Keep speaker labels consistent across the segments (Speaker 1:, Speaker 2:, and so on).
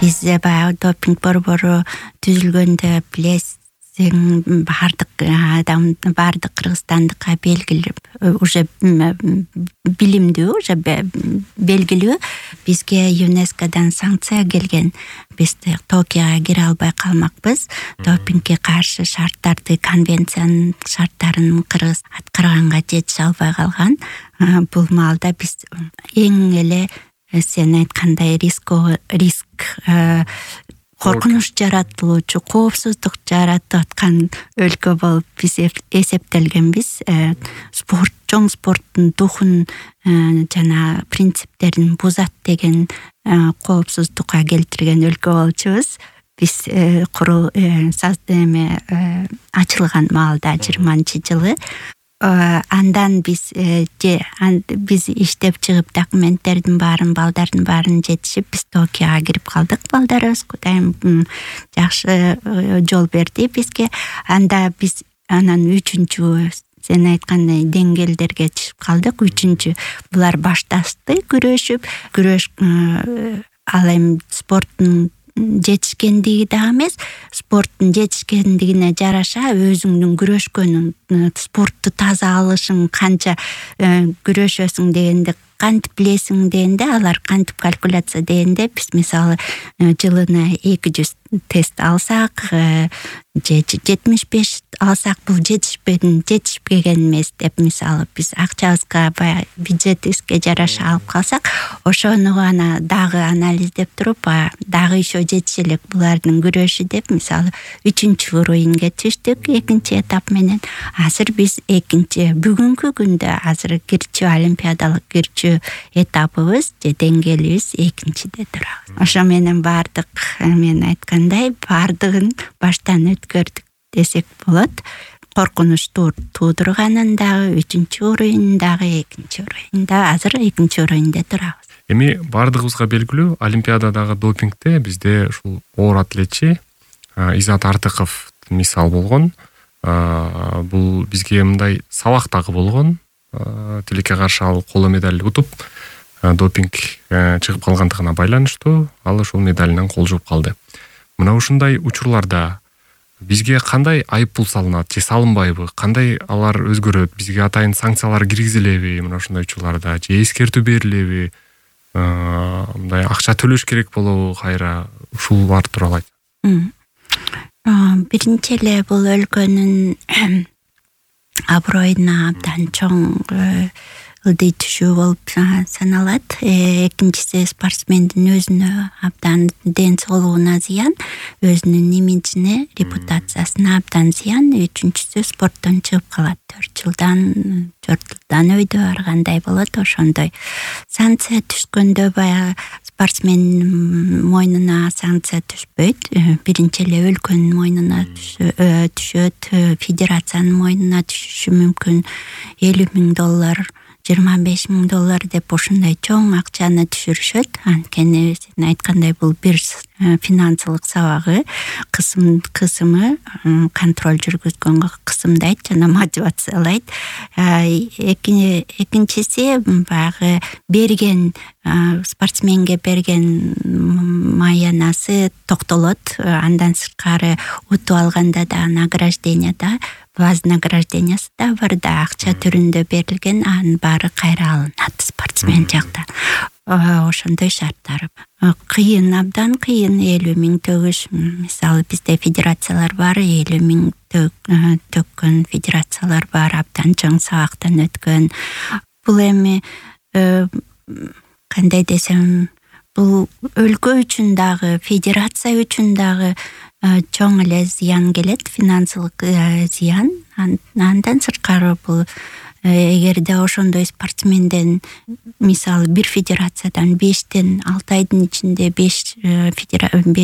Speaker 1: Биз баягы допинг борбору түзүлгөндө билесиң, бардык адам, бардык кыргызстандыкка белгилүү, уже билимдүү, уже белгилүү. Бизге ЮНЕСКОдан санкция келген. Биз Токиога кире албай калмакпыз. Допингге каршы шарттарды, конвенциянын шарттарын Кыргыз аткарганга жетише албай калган. Бул маалда биз эң эле сен айткандай риск коркунуч жаратылуучу, коопсуздук жаратып аткан өлкө болуп биз эсептелгенбиз. Чоң спорттун духун жана принциптерин бузат деген коопсуздукка келтирген өлкө болчубуз. Биз ачылган маалда 20-жылы. Андан биз иштеп чыгып документтердин баарын, балдардын баарын жетишип, биз Токиога кирип калдык. Балдарыбыз Кудайым жакшы жол берди бизге. Анда биз анан 3-чү сен айткандай деңгээлдерге чыгып калдык. 3-чү булар башташты күрөш ал эми спорттун жетишкендиги да эмес, спорттун жетишкендигине жараша өзүңдүн күрөшкөнүң, спортту таза алышың, канча күрөшөсүң дегенде кантип билесиң дегенде, алар кантип калькуляция дегенде, биз мисалы жылына 200 тест алсак, же 75 алсак, бул жетишпеген эмес деп, мисалы биз акчабызга, баягы бюджетибизге жараша алып калсак, ошону гана дагы анализдеп туруп, дагы еще жетише элек булардын күрөшү деп, мисалы 3-чү уровеньге түштүк 2-чи этап менен. Азыр биз бүгүнкү күндө азыр кирчү олимпиадалык кирчү этабыбыз же деңгээлибиз 2-чиде турабыз. Ошо менен бардык, мен айткандай, бардыгын баштан өткөрдүк десек болот. Коркунуч туудурганын дагы 3-чү уровень, дагы 2-чи уровень, азыр 2-чи уровеньде турабыз.
Speaker 2: Эми бардыгыбызга белгилүү, олимпиададагы допингде бизде ушул оор атлетчи Изат Артыков мисал болгон. Бул бизге мындай сабак дагы болгон. Тилекке каршы ал коло медаль утуп, допинг чыгып калгандыгына байланыштуу ал ушул медалинен кол жууп калды. Мына ушундай учурларда бизге кандай айыппул салынат же салынбайбы? Кандай алар өзгөрөт? Бизге атайын санкциялар киргизилеби мына ушундай учурларда? Же эскертүү берилеби? Мындай акча төлөш керек болобу кайра? Ушулар тууралуу айт.
Speaker 1: Биринчи эле бул өлкөнүн аброюна абдан чоң ылдый түшүү болуп саналат. Экинчиси спортсмендин өзүнө абдан ден соолугуна зыян, өзүнүн имиджине, репутациясына абдан зыян. Үчүнчүсү спорттон чыгып калат. 4 жылдан өйдө баргандай болот. Ошондой санкция түшкөндө баягы спортсмендин мойнуна санкция түшпөйт. Биринчи эле өлкөнүн мойнуна түшөт, федерациянын мойнуна түшүшү мүмкүн. $50,000 $25,000 деп ушундай чоң акчаны түшүрүшөт. Анткени сен айткандай бул бир финансылык сабагы, кысымы контроль жүргүзгөнгө кысымдайт жана мотивациялайт. Экинчиси баягы берген спортсменге берген маянасы токтолот. Андан сырткары утуп алганда да награждение да, вознаграждениясы да бар да, акча түрүндө берилген, анын баары кайра алынат спортсмен жактан. Ошондой шарттар. Кыйын, абдан кыйын. 50,000 төгүш. Мисалы бизде федерациялар бар, 50,000 төккөн федерациялар бар, абдан чоң сабактан өткөн. Бул эми кандай десем, бул өлкө үчүн дагы, федерация үчүн дагы чоң эле зыян келет, финансылык зыян. Андан сырткары бул эгерде ошондой спортсменден, мисалы бир федерациядан 5-6 айдын ичинде 5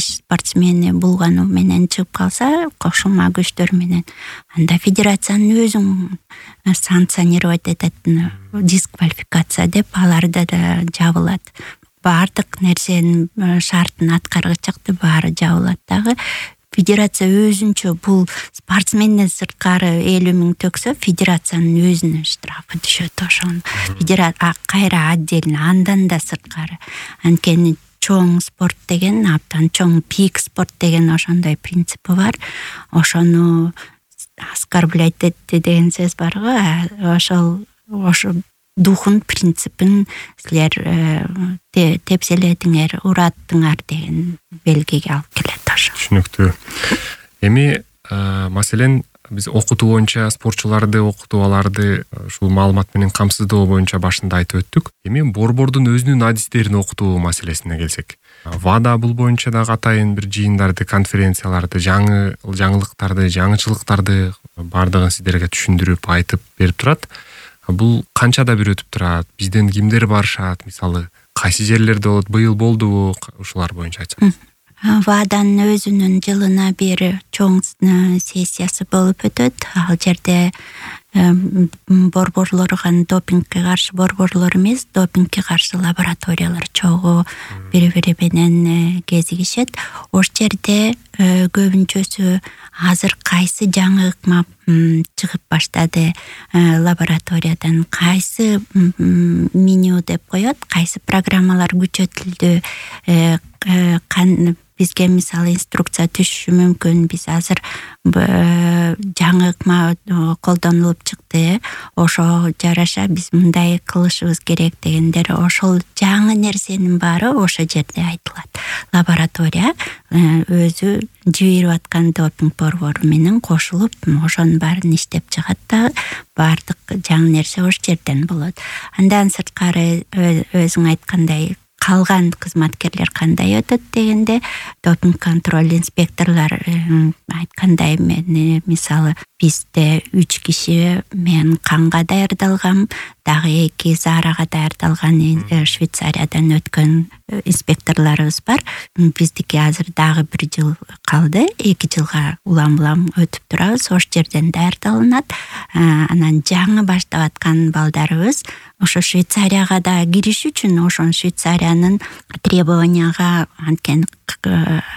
Speaker 1: спортсмени булгану менен чыгып калса, кошулма күчтөр менен, анда федерациянын өзүн санкционировать этет, дисквалификация деп, аларда да жабылат. Бардык нерсенин шартын аткаргычакты баары жабылат дагы. Федерация өзүнчө бул спортсменден сырткары 50,000 төксө, федерациянын өзүнүн штрафы түшөт. Ошону кайра отдельно, андан да сырткары. Анткени чоң спорт деген, абдан чоң пик спорт деген ошондой принципи бар. Ошону оскорблять этти деген сөз бар го. Ошо духун, принципин силер тепселедиңер, ураттыңар деген белгиге алып келет ошо.
Speaker 2: Түшүнүктүү. Эми маселен биз окутуу боюнча спортчуларды окутуп аларды ушул маалымат менен камсыздоо боюнча башында айтып өттүк. Эми борбордун өзүнүн адистерин окутуу маселесине келсек, ВАДА бул боюнча дагы атайын бир жыйындарды, конференцияларды, жаңылыктарды, жаңычылыктарды бардыгын сиздерге түшүндүрүп, айтып берип турат. Бул канчада бир өтүп турат? Бизден кимдер барышат? Мисалы, кайсы жерлерде болот? Быйыл болдубу? Ушулар боюнча айтсаңыз.
Speaker 1: ВАДАнын өзүнүн жылына бир чоң сессиясы болуп өтөт. Ал жерде борборлорго, допингке каршы борборлор эмес, допингке каршы лабораториялар чогуу бири-бири менен кезигишет. Ош жерде көбүнчөсү азыр кайсы жаңы ыкма чыгып баштады лабораториядан, кайсы меню деп коет, кайсы программалар күчөтүлдү, бизге мисалы инструкция түшүшү мүмкүн. Биз азыр жаңы ыкма колдонулуп чыкты, ошо жараша биз мындай кылышыбыз керек дегендер, ошол жаңы нерсенин баары ошо жерде айтылат. Лаборатория өзү жиберип аткан допинг борбору менен кошулуп ошонун баарын иштеп чыгат да, баардык жаңы нерсе ошол жерден болот. Андан сырткары өзүң айткандай калган кызматкерлер кандай өтөт дегенде, допинг контроль инспекторлор айткандай, мен мисалы бизде 3 киши, мен канга даярдалгам, дагы 2 заарага даярдалган Швейцариядан өткөн инспекторлорубуз бар. Биздики азыр дагы 1 жыл калды, 2 жылга улам өтүп турабыз, ошол жерден даярдалынат. Анан жаңы баштап аткан балдарыбыз ошо Швейцарияга да кириш үчүн ошон Швейцариянын требованияга анткени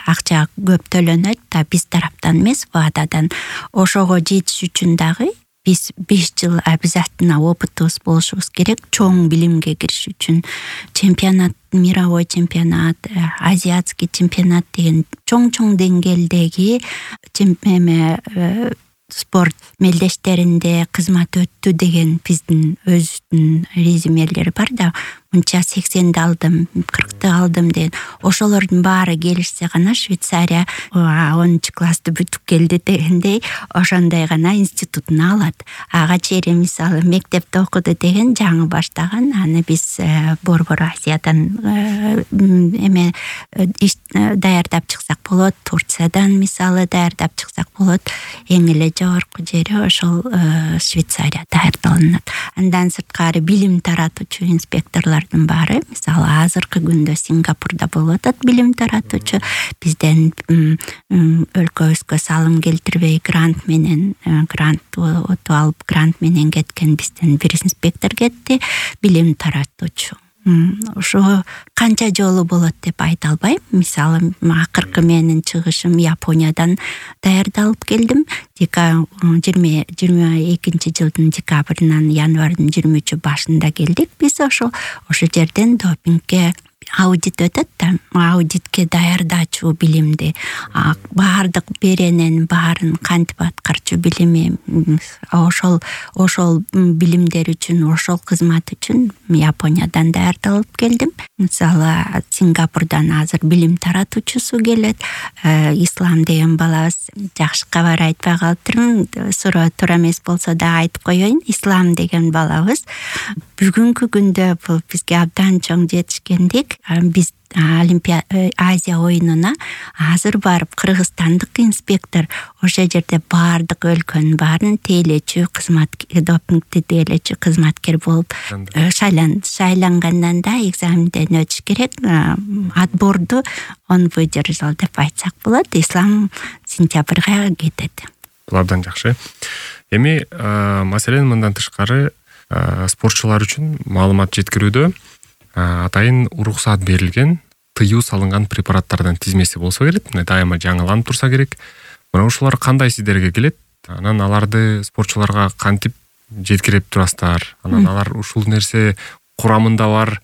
Speaker 1: акча көп төлөнөт да, биз тараптан эмес, ВАДАдан. Ошого жетиш үчүн дагы биз 5 жыл обязательно опытыбыз болушубуз керек. Чоң билимге кириш үчүн чемпионат, мировой чемпионат, азиатский чемпионат деген чоң деңгээлдеги спорт мелдештеринде кызмат өттү деген биздин өзүнүн резюмелери бар да, мынча 80-ди алдым, 40-ты алдым деген. Ошолордун баары келишсе гана Швейцария 10 классты бүтүп келди дегендей, ошондой гана институтун алат. Ага чейин мисалы мектепте окуду деген жаңы баштаган, аны биз борбор Азиядан даярдап чыксак болот, Турциядан мисалы даярдап чыксак болот. Эң эле жогорку жери ошол Швейцария даярдалынат. Андан сырткары билим таратуучу инспекторлордун баары, мисалы азыркы күндө Сингапурда болуп атат билим таратуучу, бизден өлкөбүзгө салым келтирбей грант утуп алып, грант менен кеткен бизден бир инспектор кетти, билим таратуучу. Ошо канча жолу болот деп айта албайм. Мисалы акыркы менин чыгышым Япониядан даярдалып келдим. 2022 жылдын декабрынан январдын 23 башында келдик. Биз ошо жерден допингке аудит өтөт да, аудитке даярдачу билимди, баардык беренен баарын кантип аткарчу билими, ошол билимдер үчүн, ошол кызмат үчүн Япониядан даярдалып келдим. Мисалы Сингапурдан азыр билим таратуучусу келет. Ислам деген балабыз, жакшы кабар айтпай калыптырмын, суроо туура эмес болсо да айтып коеюн. Ислам деген балабыз бүгүнкү күндө бул бизге абдан чоң жетишкендик. Биз Азия оюнуна азыр барып кыргызстандык инспектор ошо жерде баардык өлкөнүн баарын тейлечү кызматкер, допингди тейлечү кызматкер болуп шайлангандан да экзаменден өтүш керек. Отборду он выдержал деп айтсак болот. Ислам сентябрга кетет.
Speaker 2: Бул абдан жакшы. Эми маселен мындан тышкары спортчулар үчүн маалымат жеткирүүдө атайын уруксат берилген, тыюу салынган препараттардын тизмеси болсо керек, дайыма жаңыланып турса керек. Мына ушулар кандай сиздерге келет? Анан аларды спортчуларга кантип жеткирип турасыздар? Анан алар ушул нерсе курамында бар,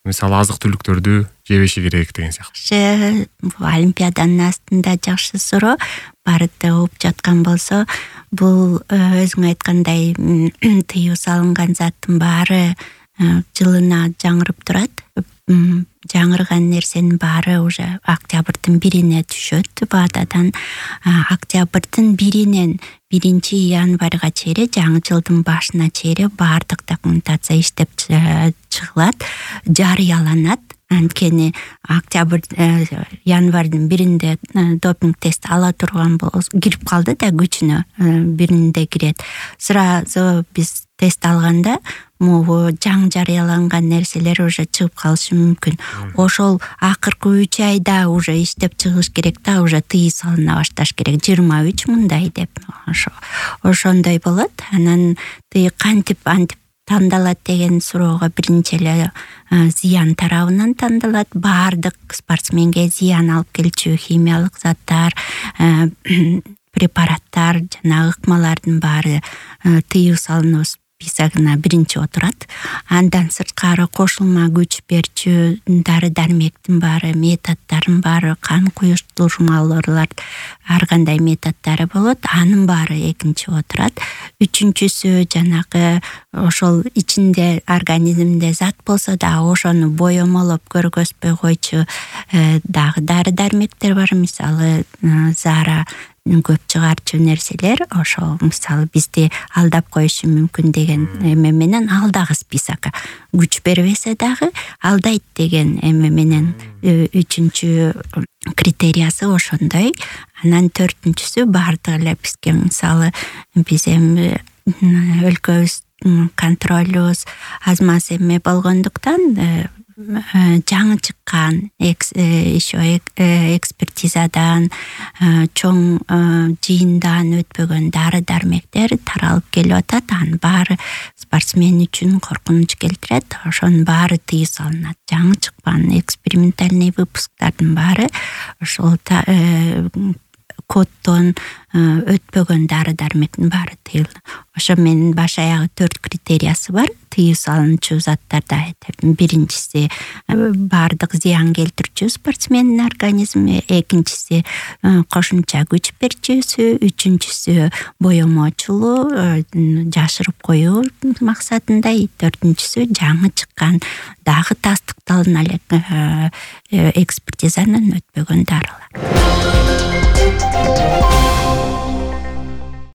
Speaker 2: мисалы азык түлүктөрдү жебеши керек деген сыяктуу.
Speaker 1: Бул олимпиаданын астында жакшы суроо. Барды угуп жаткан болсо, бул өзүң айткандай тыюу салынган заттын баары жылына жаңырып турат. Жаңырган нерсенин баары уже октябрдын 1-ине түшөт. Баатадан октябрдын 1-инен 1-январга чейин, жаңы жылдын башына чейин баардык документация иштеп чыгылат, жарыяланат. Анткени октябрь январдын 1-инде допинг тест ала турган болсо, кирип калды да күчүнө 1-инде кирет. Сразу биз тест алганда могу жаңы жарыяланган нерселер уже чыгып калышы мүмкүн. Ошол акыркы 3 айда уже иштеп чыгыш керек да, уже тыюу салына башташ керек. 23 мындай деп. Ошондой болот. Анан тыюу кантип тандалат деген суроого биринчи эле зыян тарабынан тандалат. Баардык спортсменге зыян алып келчү химиялык заттар, препараттар жана ыкмалардын баары тыюу салынуу списогуна биринчи отурат. Андан сырткары кошулма күч берчү дары дармектин баары, методдордун баары, кан куюштурмалуулар, ар кандай методдору болот. Анын баары экинчи отурат. Үчүнчүсү жанагы ошол ичинде организмде зат болсо да ошону боемолоп көргөзбөй койчу дагы дары дармектер бар. Мисалы Зара көп чыгарчу нерселер, ошол мисалы бизди алдап коюшу мүмкүн деген эме менен ал дагы списокко күч бербесе дагы алдайт деген эме менен үчүнчү критериясы ошондой. Анан төртүнчүсү баардык эле бизге мисалы биз эми өлкөбүз контролюбуз аз маз эме болгондуктан жаңы чыккан еще экспертизадан чоң жыйындан өтпөгөн дары дармектер таралып келип атат. Анын баары спортсмен үчүн коркунуч келтирет. Ошонун баары тыюу салынат. Жаңы чыккан экспериментальный выпусктардын баары ошол коддон өтпөгөн дары дармектин баары тыйылды. Ошо менин баш аягы 4 критериясы бар. Тыюу салынчу заттарда биринчиси баардык зыян келтирчү спортсмендин организми, экинчиси кошумча күч берчүсү, үчүнчүсү боемочулуу, жашырып коюу максатында, төртүнчүсү жаңы чыккан дагы тастыкталган эле экспертизанын өтпөгөн дарылар.